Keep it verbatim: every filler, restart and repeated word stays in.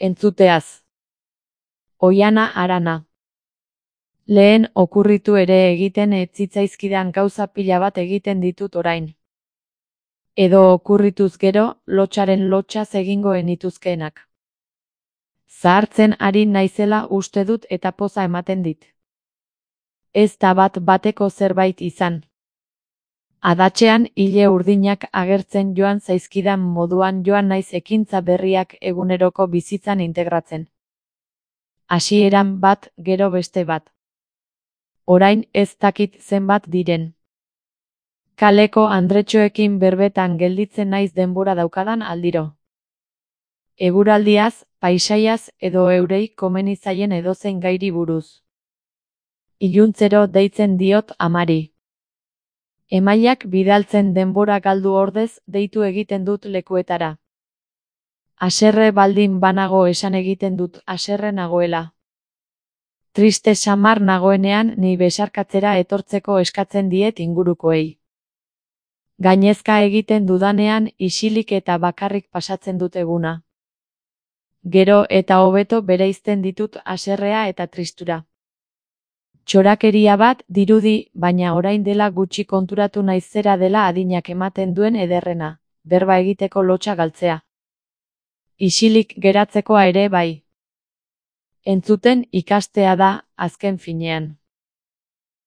Entzuteaz. Oiana Arana. Lehen okurritu ere egiten ez zitzaizkidan gauza pila bat egiten ditut orain. Edo okurrituz gero, lotxaren lotxaz egingo enituzkeenak. Zahartzen ari naizela uste dut eta poza ematen dit. Ez da bat bateko zerbait izan. Adatxean hile urdinak agertzen joan zaizkidan moduan joan naiz ekintza berriak eguneroko bizitzan integratzen. Hasieran bat, gero beste bat. Orain ez dakit zenbat diren. Kaleko andretxoekin berbetan gelditzen naiz denbora daukadan aldiro. Eguraldiaz, paisaiaz edo eurei komeni zaien edozein gairi buruz. Iluntzero deitzen diot amari. Emaiak bidaltzen denbora galdu ordez deitu egiten dut lekuetara. Haserre baldin banago esan egiten dut haserre nagoela. Triste samar nagoenean ni besarkatzera etortzeko eskatzen diet ingurukoei. Gainezka egiten dudanean isilik eta bakarrik pasatzen dut eguna. Gero eta hobeto bereizten ditut haserrea eta tristura. Txorakeria bat dirudi, baina orain dela gutxi konturatu naiz zera dela adinak ematen duen ederrena, berba egiteko lotxa galtzea. Isilik geratzekoa ere bai. Entzuten ikastea da, azken finean.